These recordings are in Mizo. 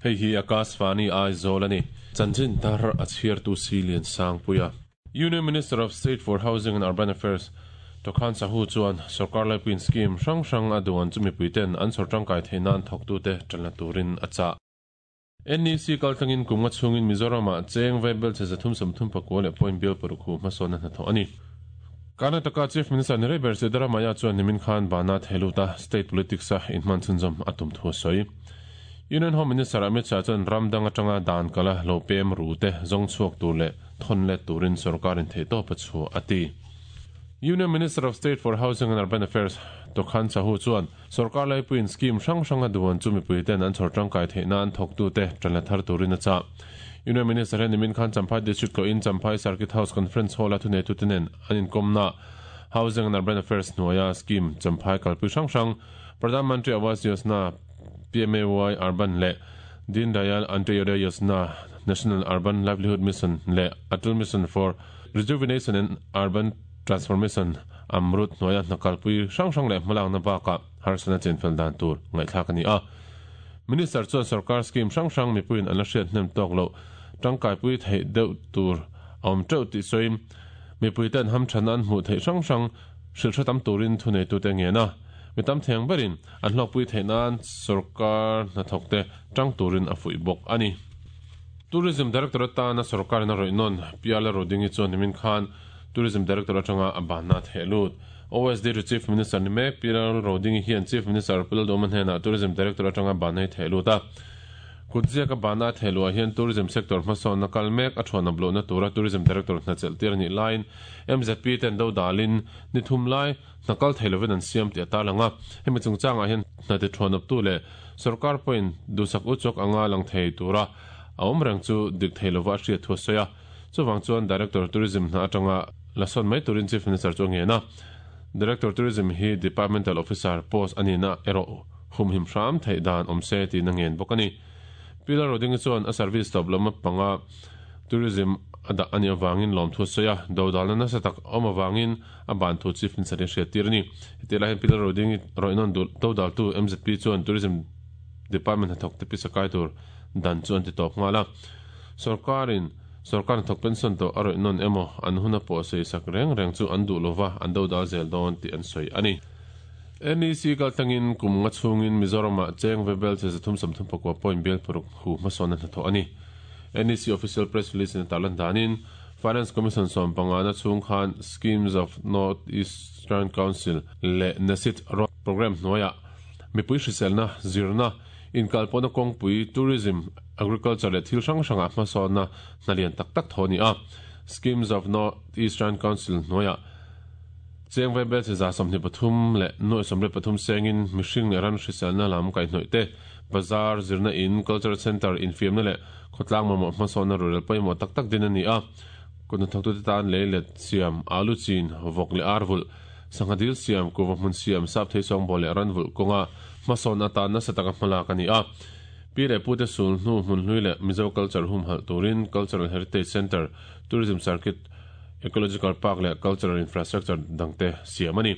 Hei hi Akashvani Aizawl a ni. Chanchin tar a chhiartu Silian Sangpuia. Union Minister of State for Housing and Urban Affairs Tokhan Sahu chuan sorkar laipuiin scheme hrang hrang a duan chu mipuiten an chhawr tangkai theih nan thawktute tanla turin a chah. NEC kaltlangin kum nga chhungin Mizoramah cheng vaibel che 339 leh point bial paruk hu hmasawnna hnathawh a ni. Karnataka Chief Minister ni rei ber Siddaramaiah chuan nimin khan bana theiluta state politics a inhman chhunzawm a tum thu a sawi. Union Home Minister Amit Shah chuan ram dang atanga dan kala lo pem ru te zawng chhuak tur leh thawn let turin sorkarin theihtawp a chhuah a ti. Union Minister of State for Housing and Urban Affairs Tokhan Sahu chuan sorkar laipuiin scheme hrang hrang a duan chu mipuiten an chhawr tangkai theih nan thawktute tanla thar turin a chah. Union Minister hian nimin khan Champhai District tlawhin Champhai Circuit House Conference Hall-a thuneitute nen an inkawmna Housing and Urban Affairs hnuaia scheme Champhai kalpui hrang hrang Pradhan Mantri Awas Yojana, PMAY Urban leh Deen Dayal Antyodaya Yojana, National Urban Livelihood Mission leh Atal Mission for Rejuvenation and Urban Transformation, AMRUT, hnuaia hna kalpui hrang hrang leh hmalakna bakah harsatna chenfel dan tur ngaihthlak a ni a. Minister chuan sorkar scheme hrang hrang mipuiin an la hriat hnem tawk loh tangkaipui theih deuh tur a awm teuh tih sawiin mipuite an hamthanna an hmuh theih hrang hrang hrilh hre tam turin thuneitute ngen a. Mi tam theng berin an hlawkpui theih nan sorkar hnathawkte tang turin a fuih bawk a ni. Tourism Director atana sorkarin a rawih nawn Piala Rodingi chuan nimin khan Tourism Director atanga a banna a theh lut. OSD to Chief Minister ni mek Piala Rodingi hian Chief Minister Pu Lalduhoma hnenah Tourism Director atanga banna hi theh lut a. Kutziaka banna a theh luah hian Tourism sector hmasawnna kal mek a thuan a bluhna tura Tourism Director hna chelh tir a nih laiin MZP ten dodalin ni thum lai hna kal thei lovin an siam tih a tarlang a. Hemi chungchangah hian hna ti thuanawptu leh sorkar pawhin duhsak uchawk anga lang thei tura a awm reng chu dik thei lova a hriat thu a sawi a. Chuvang chuan Director Tourism hna atanga la sawn mai turin Chief Minister chu a ngen a. Director Tourism hi Departmental Officer post a nihna erawh humhim hram theih dan awm se tiin a ngen bawk a ni. Pi Lalrodingi chuan a service tawp lama panga Tourism a dah a nih avangin lawmthu a sawi a, dodalna nasa tak a awm avangin a ban thu Chief Minister in hriat tir a ni. Hetiang lai hian Pi Lalrodingi rawihnawn duh dodaltu MZP chuan Tourism Department hnathawk te pisa kai tur dan chu an ti tawp nghal a. Sorkarin sorkar hnathawk pension tawh a rawihnawn emaw an hun a pawh sawi sak reng reng chu an duh lova an dodal zel dawn tih an sawi a ni. NEC kaltlangin kum nga chhungin Mizoramah cheng vebel che 339 point bial paruk hu hmasawnna hnathawh a ni. NEC official press release in a tarlan danin Finance Commission 15 na chhung khan Schemes of North Eastern Council leh NESIT Road Programme hnuaiah mipui hriselna, zirna, inkalpawhna kawngpui, tourism, agriculture leh thil hrang hrangah hmasawnna hna lian tak tak thaw a ni a. Schemes of North Eastern Council hnuaiah cheng vaibel che 23 leh nuaih 83 sengin mihring leh ran hriselna lam kaihhnawih te, bazar, zirna in, cultural centre, infiamna leh khawtlang mamawh hmasawnna rurel pawimawh tak tak din a ni a. Kut hnathawktute tan lei let siam, alu chin, vawk leh ar vulh, sangha dil siam, kuhva hmun siam, sap thei sawngbawl leh ran vulh kawnga hmasawn atan nasa taka hmalak a ni a. Pi leh pute sul hnu hmun hlui leh Mizo culture humhalh turin Cultural Heritage Centre, Tourism Circuit, Ecological Park leh Cultural Infrastructure dangte siam a ni.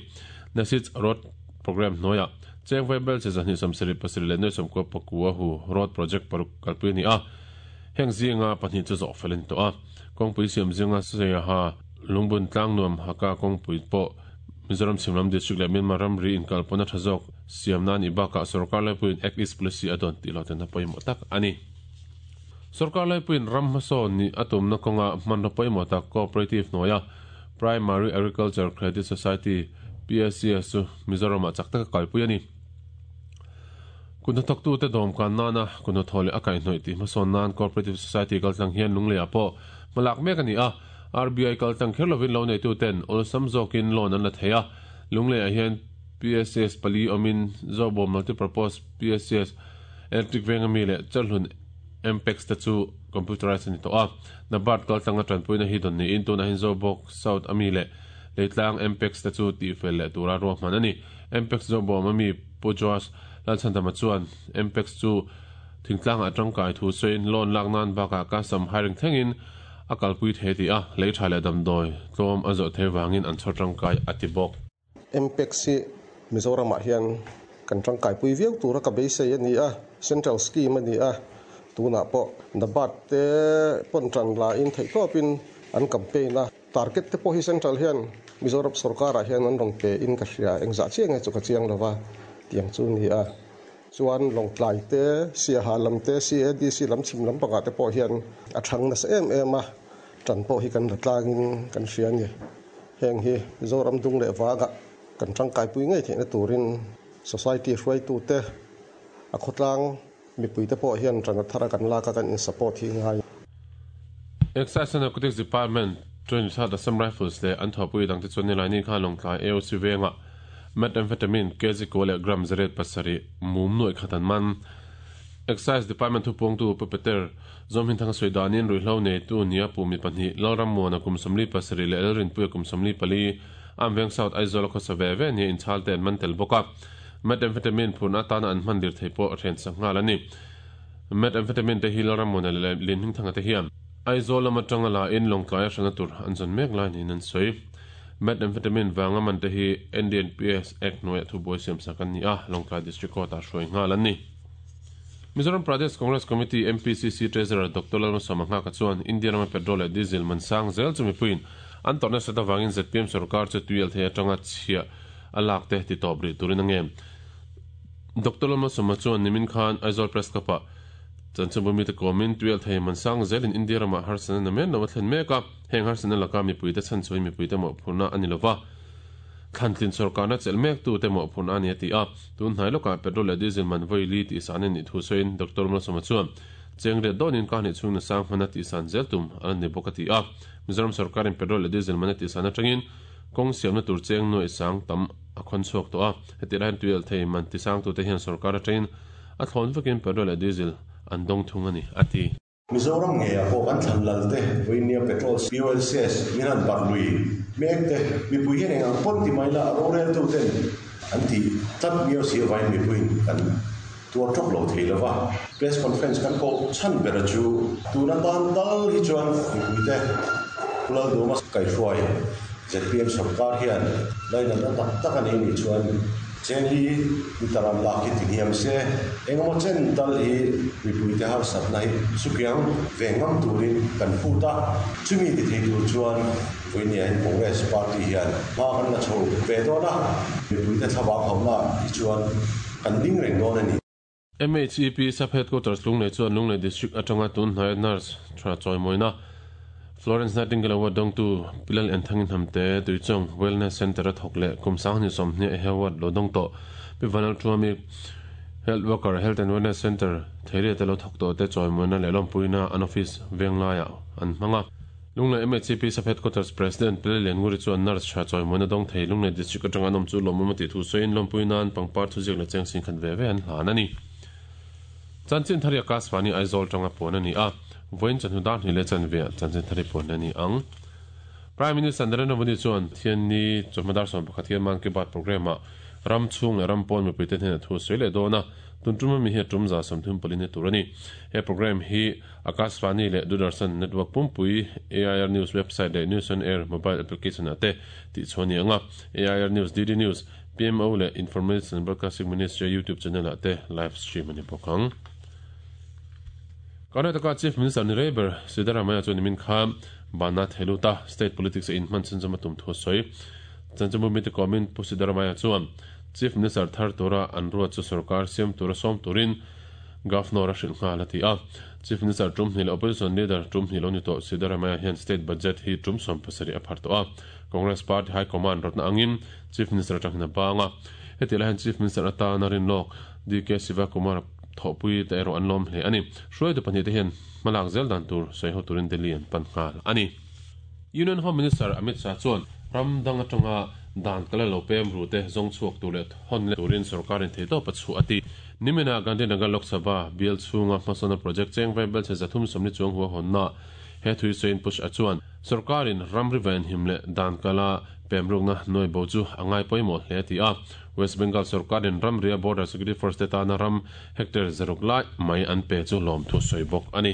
Nasits Road Programme hnuaiah Cheng Vaibel che 277 leh nuai 99 pakua hu Road Project paruk kalpui a ni a, heng zinga pahnih chu zawh fel a ni tawh a. Kawngpui siam zinga Saiha Lungbun Tlangnuam Haka kawngpui pawh Mizoram Chhimlam District leh Myanmar ramri inkalpawhna tha zawk siam nan i bakah sorkar laipuiin Act East Policy a dawn tih lo tena pawimawh tak a ni. Sorkar laipuiin ram hmasawn nih a tumna kawnga hmanraw pawimawh tak Cooperative hnuaia Primary Agriculture Credit Society, PACS, chu Mizoramah chak taka kalpui a ni. Kut hnathawktute dawmkan nana kut hnathawh leh a kaihhnawih tih hmasawn nan Cooperative Society kaltlang hian Lungleiah pawh hmalak mek a ni a. RBI kaltlang kher lovin lo neituten awlsam zawkin loan an la thei a. Lungleiah hian PACS pali awmin Zobawm Multipurpose PACS, Electric Veng ami leh Chalhlun Mpex te chu computerized a ni tawh a. NABARD kaltlanga tanpuina hi dawn niin tunah hian Zobawk South ami leh Leitlang Mpex te chu tihfel leh tura ruahman a ni. Mpex Zobawm ami Pu Joash Lalchhandama chuan Mpex chu thingtlangah tangkai thu sawiin loan lak nan bakah custom hiring thlengin a kalpui thei tih a, lei tha leh damdawi tlawm a zawh theih vangin an chhawr tangkai a ti bawk. Mpex hi Mizoramah hian kan tangkaipui viau tura ka beisei a ni a, Central Scheme a ni a. Tunah pawh NABARD te pawn tan la in theihtawpin an campaign a, target te pawh hi central hian Mizoram sorkarah hian an rawn pe in ka hria, engzah chiah nge chu ka chiang lo va, tiang chu ni a. Chuan Lawngtlai te, Siaha lam te, CADC lam chhim lam pangah te pawh hian a thang nasa em em a, tan pawh hi kan la tlangin kan hria a ni. Heng hi Mizoram dung leh vangah kan tangkaipui ngei theihna turin society hruaitute a khawtlang Mipuite pawh hian rana thara kan lak a kan in support hi ngai. Excise and Narcotics Department chuan South Assam Rifles leh an thawhpui dangte chuan Nilaini khan Lawngtlai AOC vengah Methamphetamine kg kua leh gram 807 mum nuaih khat an man. Excise Department thupuangtu Pu Peter Zawmhinthanga sawi danin ruihhlo neitu nia pu mi pahnih Lalrammuana kum 47 leh Lalrinpuia kum 44 Amveng South Aizawl a khawsa ve ve nia inchhalte an man tel bawk a. Methamphetamine phurna atana an hman dir thei pawh hren sak nghal a ni. Methamphetamine te hi Lalrammuana leh Linhmingthanga te hian Aizawl lam atanga la in Lawngtlaia hrana tur an zawn mek lai niin an sawi. Methamphetamine vanga man te hi NDNPS Act hnuaiah thubuai siam sak an ni a, Lawngtlai District Court ah hruai nghal an ni. Mizoram Pradesh Congress Committee, MPCC, Treasurer Doctor Lalmalsawma Nghaka chuan India rama petrol leh diesel man sang zel chu mipuiin an tawrh nasat avangin zpm sorkar chu tuialthei atanga chhiah a lak te ti tawp rih turin a nge. Doctor Lalmalsawma chuan nimin khan Aizawl Press Club ah chanchinbu mite kawmin tuialthei man sang zelin India ramah harsatna na men lo a thlen mek a, heng harsatna laka mipuite chhanchhuahin mipuite mawhphurhna a ni lova, thlantlin sorkarna chelh mek tute mawhphurhna a ni a ti a. Tun hnai lawkah petrol leh diesel man vawi li tihsan a nih thu sawiin Doctor Malsawma chuan cheng riat dawnin ka hnih chhungna sang hmana tihsan zel tum a la ni bawk a ti a. Mizoram sorkarin petrol leh diesel man a tihsan atangin kawng siamna tur cheng nuaih sang tam a khawn chhuak tawh a. Heti laiin tuialh thei man tisangtute hian sorkar atangin a thlawn vekin petrol leh diesel an dawng thung a ni, a ti. Mizoram ngeiah pawh kan thlan lal te, vawinia petrol fuel cess min han barh lui mek te, mipui hian eng ang pawn ti mai la a roreltu ten an tih tlat miau si avain mipuiin kan tuar tawk lo thei lova. Press conference kan koh chhan bera chu tuna tan tal hi chuan mipuite Pu Lalduhawma kaihruai zpm sorkar hian lainatna tak tak a nei nih chuan Chengli liter an lak hi tihniam se, engemaw chen tal hi mipuite harsatna hi sukiang ve ngam turin kan phut a, chumi ti thei tur chuan vawinia in Congress party hian hma kan la chho ve dawn a, mipuite thlavang hauhna hi chuan kan ding reng dawn a ni. MHEP Sub Headquarters Lunglei chuan Lunglei District atanga tun hnaia Nurse tha chawimawina Florence Nightingale Award dawngtu Pi Lal Enthangin Hnamte Tuichawng Wellness Centre a thawk leh kum 2020 he award lo dawng tawh Pi Vanal Thuami Health Worker Health and Wellness Centre Theiriate lo thawk tawh te chawimawina leh lawmpuina an office venglaiah an hmang a. Lunglei MHCP Sub Headquarters President Pele Liannguri chuan nurse tha chawimawina dawng thei Lunglei District atanga an awm chu lawmawm a tih thu sawiin lawmpui nan pangpar thuziak leh cheng sin khat ve ve an hlan a ni. Chanchin Thari Akashvani Aizawl tanga puan a ni a, vawiin chawhnu dar hnih leh chanve ah Chanchin Thari puan a ni ang. Prime Minister Narendra Modi chuan Thianni chawhma dar 11 hian Mann Ki Baat programme ah ram chhung leh ram pawn mipuite hnenah thu a sawi leh dawn a, tun tum ami hi a tum 35 ni tur a ni. He programme hi Akashvani leh Doordarshan network pumpui, AIR News website leh News on Air mobile application ah te tihchhuah a ni ang a, AIR News, DD News, PMO leh Information and Broadcasting Ministry YouTube channel ah te live stream a ni bawk ang. Karnataka Chief Minister ni rei ber Siddaramaiah chuan nimin kha banna thei lut a, state politics a inhman chhunzawm a tum thu a sawi. Chanchinbu mite kawmin Pu Siddaramaiah chuan Chief Minister thar tura an ruat chu sorkar siam tura sawm turin Governor a hrilh nghal a ti a. Chief Minister tum hnih leh Opposition Leader tum hnih lo ni tawh Siddaramaiah hian State Budget hi tum 70 a phar tawh a. Congress Party High Command rawtna angin Chief Minister atangin a bang a. Hetihlai hian Chief Minister atana rinlawk DK Sivakumar thawhpui te erawh an lawm hle a ni. Hruaitu pahnih te hian hmalak zel dan tur sawi ho turin Delhi an pan nghal a ni. Union Home Minister Amit Shah chuan ram dang atanga dan kal a lo pem ru te zawng chhuak tur leh hawn leh turin sorkarin theihtawp a chhuah a ti. Nimina Gandhinagar Lok Sabha bial chhunga hmasawnna project cheng vai belchhe 340 chuang hua hawnna he thui sawiin Pu Shah chuan sorkarin ramri venhim leh dan kala pemrukna nuai bo chu a ngai pawimawh hle a ti a. West Bengal sorkarin ramria Border Security Force te tana ram hectare zaruk lai mai an pe chu lawmthu sawi bawk a ni.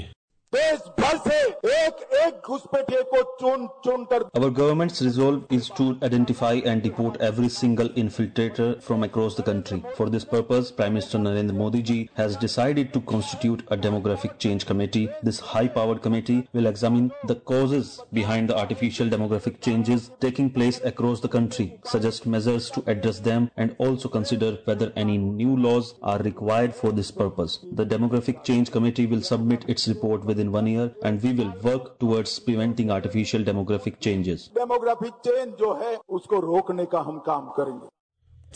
Desh bhar se ek ek घुसपैठिए को चुन चुनकर Our government's resolve is to identify and deport every single infiltrator from across the country. For this purpose, Prime Minister Narendra Modi ji has decided to constitute a demographic change committee. This high-powered committee will examine the causes behind the artificial demographic changes taking place across the country, suggest measures to address them, and also consider whether any new laws are required for this purpose. The demographic change committee will submit its report within 1 year, and we will work towards preventing artificial demographic changes. Demographic change जो है उसको रोकने का हम काम करेंगे.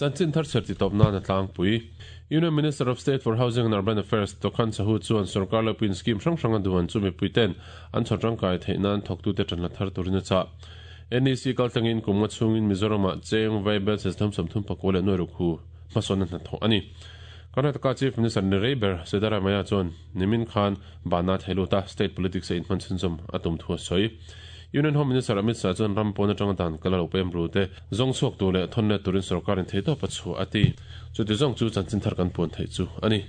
Chanchin thar cher ti top na na tlang pui. Union Minister of State for Housing and Urban Affairs Tokhan Sahu chuan sarkar lapuin scheme hrang hrang a duan chu mipui ten an chhawr tangkai theih nan thawktu te tan la thar turin a chah. NEC kaltlangin kum nga chhungin Mizoram-ah cheng vaibel system 34 leh nuai ruk hu hmasawn a hnathawh a ni. Karnataka Chief Minister ni rei ber Siddaramaiah chuan nimin khan bana theiluta state politics a inhman chhunzawm a tum thu a sawi. Union Home Minister Amit Shah chuan ram pawn atanga dan kal a lo pem ru te zawng chhuak tur leh thawn let turin sorkarin theitawp a chhuah a ti. Chuti zawng chu chanchin thar kan puan theih chu a ni.